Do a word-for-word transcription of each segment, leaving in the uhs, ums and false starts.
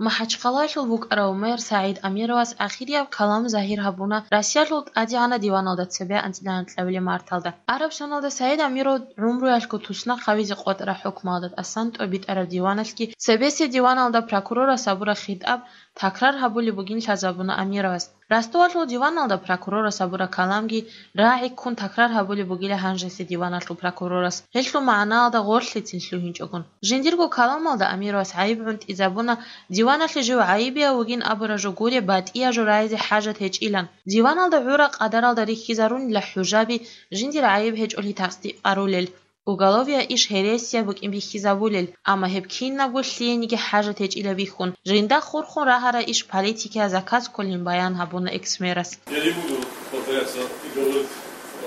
МахӀачхъалалъул букӀарав мэр СагӀид Амировас ахирияб калам загьир гьабуна Россиялъул ТӀадегӀанаб диваналда цебе анцӀила анкьабилеб марталда. Араб соналда СагӀид Амиров гӀумруялъго туснахъ гьавизе къотӀараб хӀукмуялда тӀасан тӀобитӀараб диваналъги цебесеб диваналда прокурорас гьабураб хитӀаб такрар гьабулеб бугин лъазабуна Амировас. Ростовалъул диваналда прокурорас гьабураб каламги рагӀи ккун такрар гьабулеб бугила гьанжеса диваналъул прокурорас, гьелъул магӀнаялда гъорлъецин лъугьинчӀогун. Жиндирго каламалда Амировас гӀайиб гӀунтӀизабуна, диваналъе жив гӀайибияв вугин абураб жо гуреб батӀияб жо рагӀизе хӀажат гьечӀилан. Диваналда гӀураб къадаралда рихьизарунила хӀужаби жиндир гӀайиб гьечӀолъи тасдикъарулел. Уголовияб иш гьересияб букӀин бихьизабулел, амма гьеб кинабго лъиениги хӀажат гьечӀила бихьун, жинда хурхун рагьараб иш политикияб заказ кколин баян гьабуна экс-мэрас. Я не буду повторяться и говорить,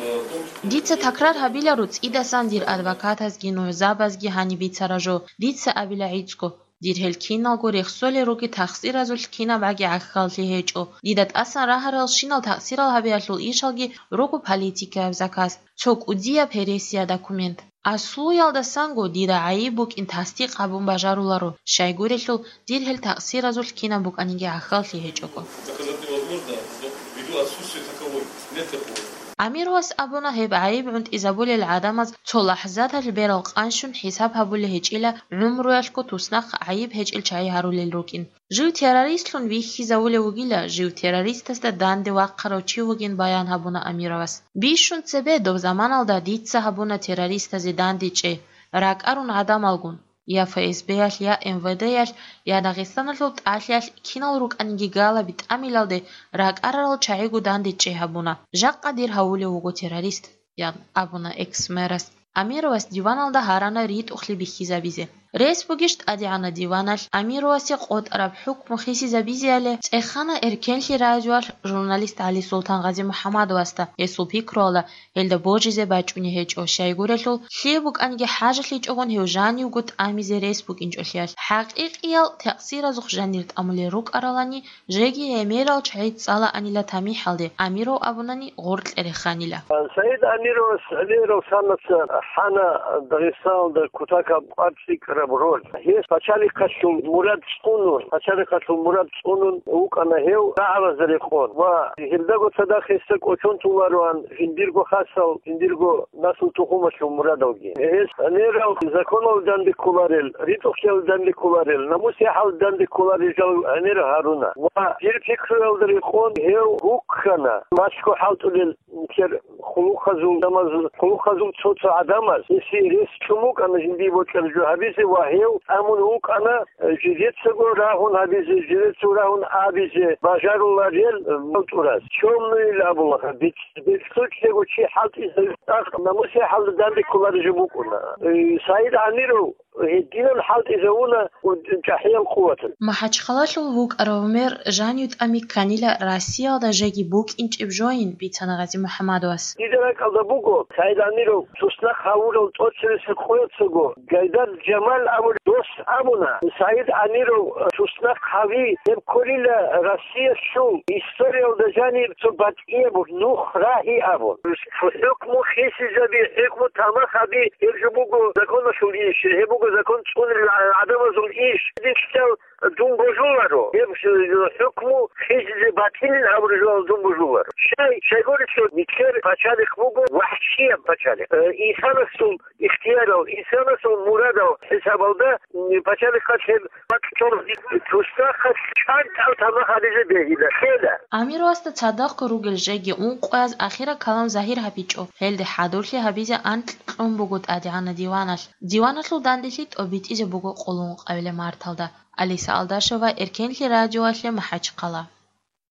э, о том, что... Дица такрар гьабиларо цӀидасан дир адвокатазги нугӀзабазги гьаниб бицараб жо, дица абила гӀицӀго. Дир гьел киналго рехсолел ругел такъсиразулъ кинабгӀаги гӀахьаллъи гьечӀо. Дида тӀасан рагьарал щинал такъсирал гьабиялъул ишалги руго политикаяб заказ, цо кӀудияб гьересияб документ. Аслуялдасанго дида гӀайиб букӀин тасдикъ гьабун бажаруларо, щайгурелъул дир гьел такъсиразулъ кинаб букӀаниги гӀахьаллъи гьечӀого. Доказать невозможно, но ввиду отсутствия таковой, нет такого. Амировас абуна, гьеб гӀайиб гӀунтӀизабулел гӀадамаз цо лахӀзаталъ берал къанщун хӀисаб гьабулеб гьечӀила гӀумруялъго туснахъ гӀайиб гьечӀел чагӀи гьарулел рукӀин. Жив террористлъун вихьизавулев вугила, жив террористасда данде вахъарав чи вугин баян гьабуна Амировас. Бищун цебе доб заманалда дица гьабуна террористазе дандечӀей, ракӀарун гӀадамалгун. Я ФСБ-ялъ, я МВД-ялъ, я Дагъистаналъул тӀалъиялъ кинал рукӀаниги галаби тӀамилалде ракӀарарал чагӀиго дандечӀей гьабуна. Жакъа дир гьавулев вуго террорист, ян абуна экс-мэрас. Амировас диваналда гьарана ритӀухълъи бихьизабизе. Рес бугищ ТӀадегӀанаб диваналъ Амировасе къотӀараб хӀукму хисизабизеяли, цӀехана Эркенлъи радиоялъ журналист ГӀалисултан Гъазимухьамадовасда, гьесул пикруялда, гьелда божизе бачӀунеб гьечӀо, щайгурелъул, лъие букӀаниги хӀажалъичӀогун гьев жанивго тӀамизе рес букӀинчӀолъиялъ. ХӀакъикъиял такъсиразухъ жанир тӀамулел рукӀаралани, жеги гӀемерал чагӀи цӀалаанила тамихӀалде, Амиров абунани гъоркье реханила. Саид Амировас гӀемерал санаца хӀана Дагъистаналда кутакаб къварц рикӀкӀараб роль. Гьес пачалихъалъул мурад цӀунун, пачалихъалъул мурад цӀунун вукӀана гьев рагӀабазда рекъон ва гьелдаго цадахъ гьесда кӀочон толароан жиндирго хасал, жиндирго наслу-тухумалъул мурадалги. Гьес гӀемерал законалда данде кколарел, ритӀухълъиялда данде кколарел, намус-яхӀалда данде кколарел жал гӀемер гьаруна ва дир пикруялда рекъон гьев гуккана, мацӀго хӀалтӀулел нилъер хъулухъазул, гӀадамаз-, хъулухъазул цо-цо гӀадамаз гьесие рес чӀун букӀана жиндие бокьараб жо гьабизе ва гьев тӀамун вукӀана, э, жидецаго рагьун гьабизе, жидецаго рагьун абизе бажаруларел, э, балтӀураз. Чёмный абула, бецӀ-, бецӀлъучӀего чи хӀалтӀизаб намус-яхӀалда данде кколареб жо букӀуна. Э, Саид Амиров гьединан хӀалтӀизавуна чӀахӀиял къуваталъ. МахӀачхъалалъул вукӀарав мэр жанив тӀами кканила Россиялда жеги букӀинчӀеб жоин, бицана Гъази МухӀаммадовас. Дида ракӀалда буго, Саид Амиров туснахъ гьавурал тӀоцебесеб къояцаго Гайдар Жамал абулев дос абуна, Саид Амиров туснахъ гьави, гьеб кколила Россиялъул историялда жаниб цо батӀияб нух рагьи абун. ХӀукму хисизаби, хӀукму тамахаби, гьеб жо буго законалъул иш, гьеб буго закон цӀунел гӀадамазул иш. Динлъидал дун божуларо, гьеб хӀукму хисизе батилин абураб жоялда дун божуларо. Щай, щайгурелъул нилъер пачалихъ буго вахӀшияб пачалихъ. Э, инсанасул ихтиярал, инсанасул мурадал хӀисабалда, м, пачалихъалъ гьеб туснахъалъ чӀантӀал тамахаризе бегьила, лъела. Амировасда цадахъго ругел жеги ункъояз ахираб калам загьир гьабичӀо, гьелде хӀадурлъи гьабизе анкь кьун буго ТӀадегӀанаб диваналъ. Диваналъул данделъи тӀобитӀизе буго къуллункъабилеб марталда. Алиса Алдашева, Эркенлъи радиоялъе, МахӀачхъала.